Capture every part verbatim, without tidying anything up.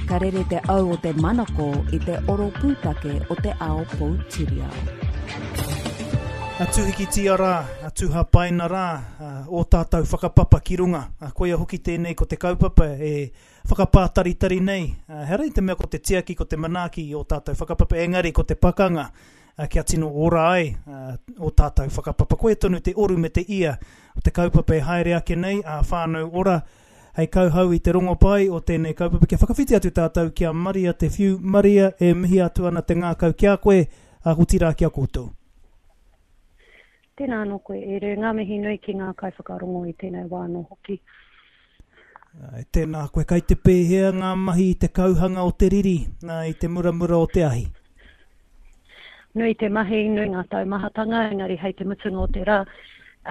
Ka rere te au o te manako i te oro pūtake o te ao poutiriao. A tūhikitia rā, a tūhapaina rā, o tātou whakapapa ki runga. A koia hoki tēnei ko te kaupapa e whakapātaritari nei. Ehara i te mea ko te tiaki, ko te manaaki i o tātou whakapapa, engari ko te pakanga kia tino ora ai o tātou whakapapa. Koia tonu te oru me te ia o te kaupapa e haere ake nei, a Whānau Ora, hei kauhau i te rongopai o tēnei kaupapa. Kia whakawhiti atu tātou ki a Maria Te Whiu. Maria, e mihi atu ana te ngākau ki a koe, a otirā ki a koutou. Tēnā anō koe, e Rū. Ngā mihi nui ki ngā kaiwhakarongo i tēnei wā anō hoki. Ai, tēnā koe, kai te pēhea ngā mahi i te kauhanga o te riri, nā, i te muramura o te ahi? Nui te mahi, nui ngā taumahatanga, engari hei te mutunga o te rā,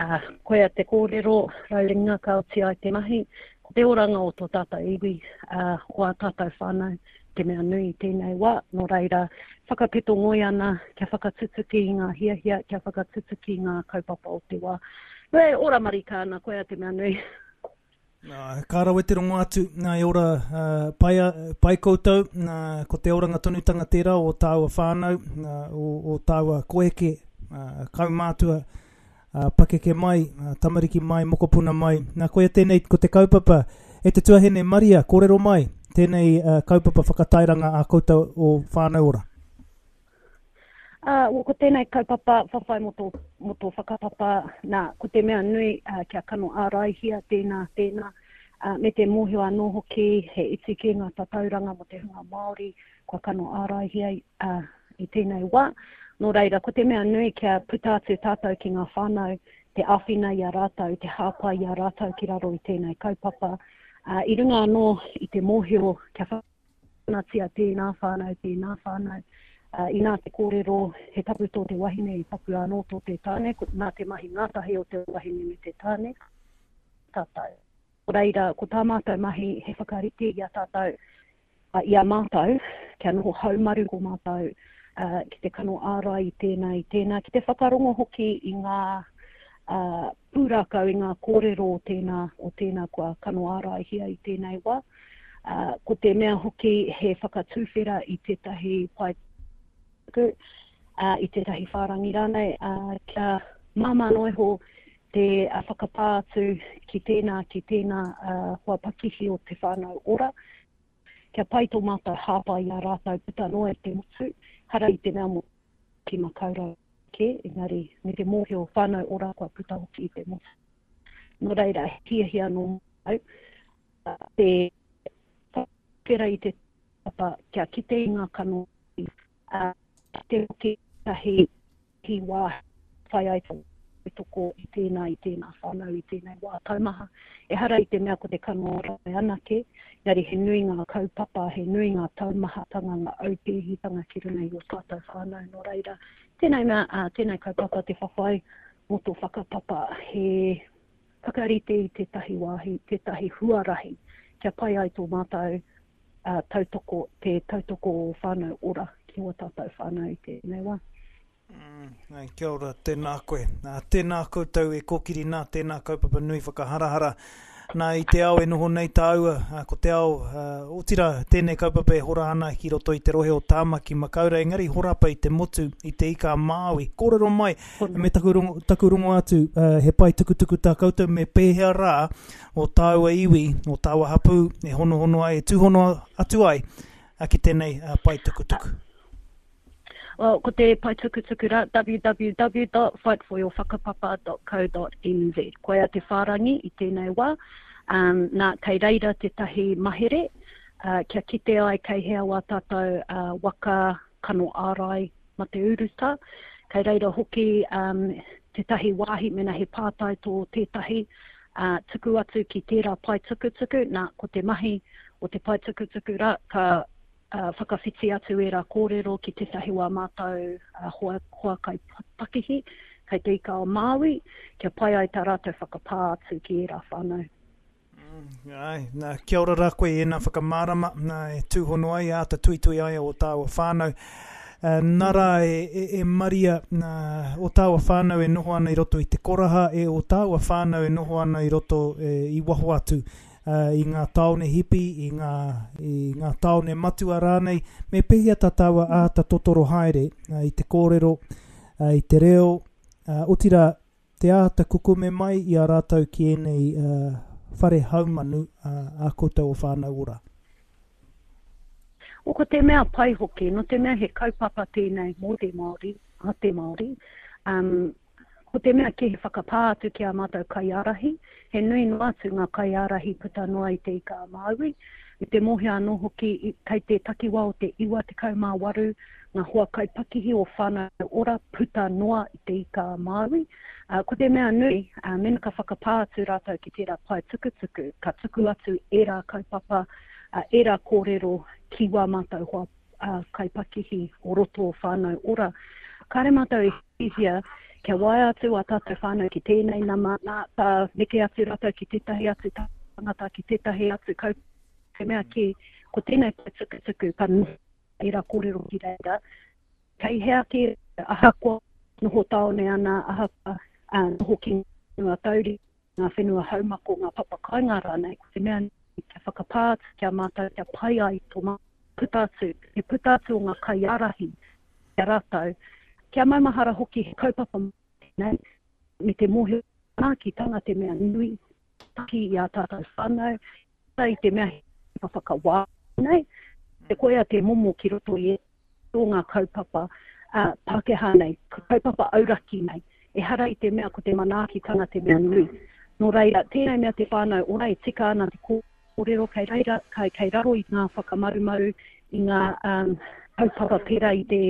uh, koia te kōrero, rauringa ka oti ai te mahi, ko te oranga o tō tātou iwi, uh, o ā tātou whānau, te mea nui i tēnei wā, nō reira, whakapeto ngoi ana kia whakatutuki i ngā hiahia, kia whakatutuki i ngā kaupapa o te wā. Nō e ora marika ana, koia te mea nui. Nā, ka rawe te rongo atu, nā, e ora uh, pai, pai koutou, nā, ko te oranga tonutanga tērā o tāua whānau, nā, o, o tāua koeke, uh, kaumātua, uh, pakeke mai, uh, tamariki mai, mokopuna mai. Nā, koia tēnei ko te kaupapa, e te tuahine Maria, kōrero mai, tēnei uh, kaupapa whakatairanga a koutou o Whānau Ora. Uh, well, ko tēnei kaupapa whawhai mō tō, mō tō whakapapa, nā, ko te mea nui uh, kia kano āraihia tēnā, tēnā, uh, me te mōhio anō hoki he iti kē ngā tatauranga mō te hunga Māori kua kano āraihia uh, i tēnei wā. Nō reira, ko te mea nui kia puta atu tātou ki ngā whānau, te āwhina i a rātou, te hāpai i a rātou ki raro i tēnei kaupapa. Uh, i runga anō i te mōhio kia whanatia tēnā whānau, tēnā whānau. Uh, inā te kōrero, he tapu tō te wahine, he tapu anō tō te tāne, ko, nā te mahi ngātahi o te wahine me te tāne, tātou. Ko reira, ko tā mātou mahi he whakarite i a tātou, uh, i a mātou, kia noho haumaru ko mātou, uh, ki te kano ārai i tēnā, i tēnā, ki te whakarongo hoki i ngā uh, pūrākau, i ngā kōrero o tēnā, o tēnā kua kano āraihia i tēnei wā. Uh, ko te mea hoki he whakatūwhera i tētahi pae uh, i tētahi whārangi rānei, uh, kia māmā noa iho te uh, whakapā atu ki tēnā, ki tēnā uh, hoa pakihi o te Whānau Ora, kia pai tō mātou hāpai i a rātou puta noa i te motu, hara i te mea mō ki Makaurau kē, engari me te mōhio Whānau Ora kua puta hoki i te motu. Nō reira, hiahia nō mātou, uh, te whakawhera i te papa kia kite i ngā kanohi, uh, te hoki tahi hi wā whai ai te toko i tēnā, i tēnā whānau, i tēnei wā taumaha. Ehara i te mea ko te kano ārai anake, engari he nui ngā kaupapa, he nui ngā taumahatanga, ngā aupēhitanga ki runga i o tātou whānau. Nō reira, tēnei mea, uh, tēnei kaupapa te whawhai mō tō whakapapa, he whakarite i tētahi wāhi, tētahi huarahi, kia pai ai tō mātou uh, tautoko, te tautoko o Whānau Ora ki o tātou whānau i tēnei wā. Mm, ai, kia ora, tēnā koe. Nā, tēnā koutou e kōkiri nā, tēnā kaupapa nui whakaharahara. Nā, i te ao e noho nei tāua, ko te ao, uh, otirā, tēnei kaupapa e hora ana ki roto i te rohe o Tāmaki Makaurau, engari horapa i te motu, i te ika a Māui. Kōrero mai, me taku rongo, taku rongo atu, uh, he pai tukutuku tā koutou, me pēhea rā o tāua iwi, o tāua hapū, e honohono ai, e tūhono atu ai, uh, ki tēnei uh, pai tukutuku. Well, ko te pae tukutuku rā, w w w dot fight for your whakapapa dot co dot n z. Koia te whārangi i tēnei wā. Um, nā, kei reira tētahi mahere, uh, kia kite ai kei hea wā tātou, uh, waka kano ārai ma te uruta. Kei reira hoki, um, tētahi wāhi mena he pātai tō tētahi, uh, tuku atu ki tērā pae tukutuku. Nā, ko te mahi o te pae tukutuku rā, ka Uh, whakawhiti atu e rā kōrero ki tētahi wā mātou, uh, hoa, hoa kai pakihi, kei te ika o Māui, kia pai ai tā rātou whakapā atu ki ērā whānau. Mm, ai, nā, kia ora rā koe e nā whakamārama, nā, e tūhono ai, āta tuitui ai o tāua whānau. Uh, nā rā e, e, e Maria, nā, o tāua whānau e noho ana i roto i te koraha, e o tāua whānau e noho ana i roto e, i waho atu uh, i ngā tāone hipi, i ngā, i ngā tāone matua rānei, me pēhea tā tāua āta totoro haere uh, i te kōrero, uh, i te reo, uh, otirā te āta kukume mai i a rātou ki ēnei uh, whare haumanu uh, a koutou o Whānau Ora. O ko te mea pai hoki, no te mea he kaupapa tēnei mō te Māori, a te Māori, um, ko te mea ki he whakapā atu ki a mātou kaiārahi, he nui noa atu ngā kaiārahi puta noa i te Ika a Māui, me te mōhio anō hoki kei te takiwā o te iwa tekau mā waru ngā hoa kaipakihi o Whānau Ora puta noa i te Ika a Māui. Uh, ko te mea nui, uh, mena ka whakapā atu rātou ki tērā pae tukutuku, ka tuku atu ērā kaupapa, uh, ērā kōrero ki wā mātou hoa uh, kaipakihi o roto o Whānau Ora. Kāre mātou e hihia kia waea atu a tātou whānau ki tēnei nama, nā, ka neke atu rātou ki tētahi atu tangata, ki tētahi atu kaupapa. Te mea ki, ko tēnei pae tukutuku, ka noho ērā kōrero ki reira. Kei hea ki ahakoa noho tāone ana, ahakoa uh, noho ki ngā tauri, ngā whenua haumako, ngā papakainga rānei, ko te mea kia whakapā atu kia mātou, kia pai ai tō mātou puta atu, te puta atu o ngā kaiārahi kia rātou, kia maumahara hoki he kaupapa nei, me te mōhio manaakitanga te mea nui, taki i a tātou whānau, i te mea he whakawā nei, te koea te momo ki roto i e tō ngā kaupapa uh, Pākehā nei, kaupapa auraki nei, ehara i te mea ko te manaakitanga te mea nui. Nō reira, tēnei mea te whānau ora e tika ana te kōrero kei reira, kei, kei raro i ngā whakamarumaru, i ngā um, kaupapa pērā i te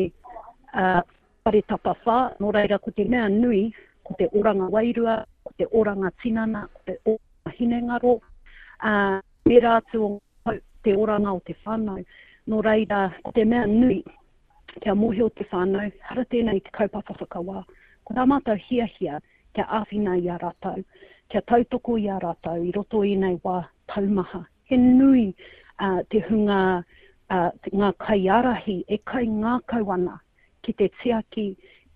uh, whare tapawhā. Nō reira, ko te mea nui, ko te oranga wairua, ko te oranga tinana, ko te oranga hinengaro, uh, me rā atu o te oranga o te whānau. Nō reira, ko te mea nui, kia mōhio te whānau, hara tēnei te kaupapa whakawā. Ko tā mātou hiahia kia āwhina i a rātou, kia tautoko i a rātou i roto i nei wā taumaha. He nui uh, te hunga, uh, ngā kaiārahi e kai ngākau ana ki te tiaki,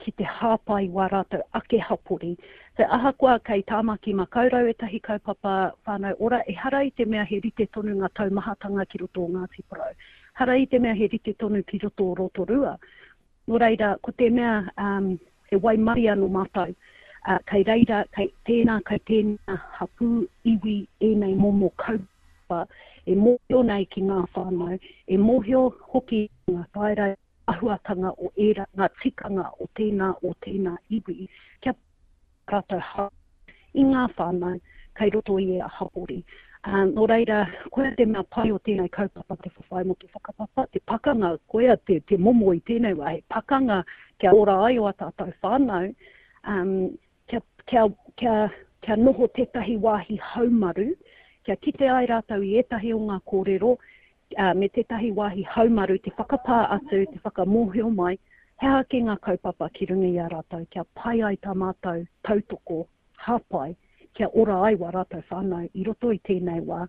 ki te hāpai wā rātou ake hapori. Te ahakoa kei Tāmaki Makaurau ētahi kaupapa Whānau Ora, ehara i te mea he rite tonu ngā taumahatanga ki roto o Ngāti Porou. Hara i te mea he rite tonu ki roto o Rotorua. Nō reira, ko te mea um, he waimaria no mātou, uh, kei reira, kei tēnā, kei tēnā hapū iwi ēnei momo kaupapa, e mōhio nei ki ngā whānau, e mōhio hoki ngā taera ahuatanga o ērā, ngā tikanga o tēnā o tēnā iwi, kia rātou hā i ngā whānau kei roto i ērā hapori. Um, nō reira, koia te mea pai o tēnei kaupapa te whawhai mō te whakapapa, te pakanga, koia te, te momo i tēnei wā, he pakanga kia ora ai o a tātou whānau, um, kia, kia, kia, kia noho tētahi wāhi haumaru, kia kite ai rātou i ētahi o ngā kōrero, uh, me tētahi wāhi haumaru, te whakapā atu, te whakamōhio mai, he aha ki ngā kaupapa ki runga i a rātou, kia pai ai tā mātou tautoko, hāpai, kia ora ai wā rātou whānau i roto i tēnei wā,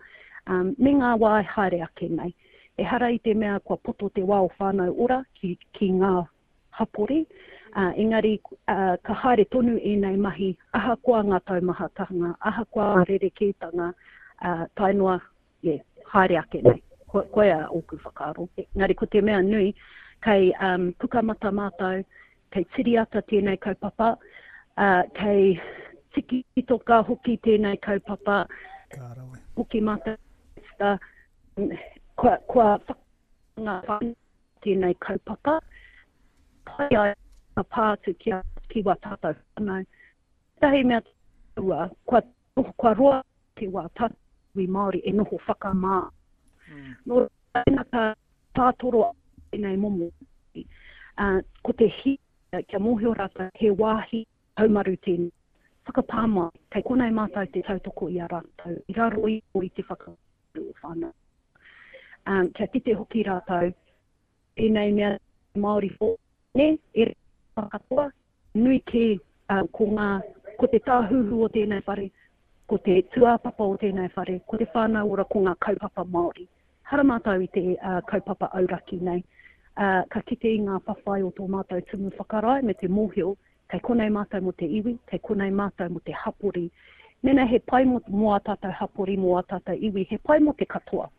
um, me ngā wā e haere ake nei. Ehara i te mea kua poto te wā o Whānau Ora ki, ki ngā hapori, uh, engari uh, ka haere tonu ēnei mahi, ahakoa ngā taumahatanga, ahakoa ngā rerekētanga, uh, tae noa, yeah, haere ake nei. Ko, koia ōku whakaaro. Engari ko te mea nui, kei um, Pukamata mātou, kei Tiriata tēnei kaupapa, uh, kei Tikitoka hoki tēnei kaupapa, Ka rawe. hoki mātou, kua, kua whakanga whānau tēnei kaupapa, pai ai ka pā atu ki a, ki wā tātou whānau. Tētahi mea ua, kua, kua roa te wā tātou i Māori e noho whakamā. Mm. Nō reira ka tātoro tēnei momo. Uh, ko te hia kia mōhio rātou he wāhi haumaru tēnei. Whakapā mai, kei konei mātou te tautoko i a rātou, i raro iho i te whakamaru o whānau. Um, kia kite hoki rātou, tēnei mea Māori whō, ne, e katoa, nui kē, uh, ko ngā, ko te tāhuhu o tēnei whare, ko te tūāpapa o tēnei whare, ko te whānau ora ko ngā kaupapa Māori. Hara mātou i te uh, kaupapa auraki nei. Uh, ka kite i ngā whawhai o tō mātou tumu whakarae me te mōhio, kei konei mātou mō te iwi, kei konei mātou mō te hapori, Mēnā he pai mō, mō ā tātou hapori, mō ā tātou iwi, he pai mō te katoa.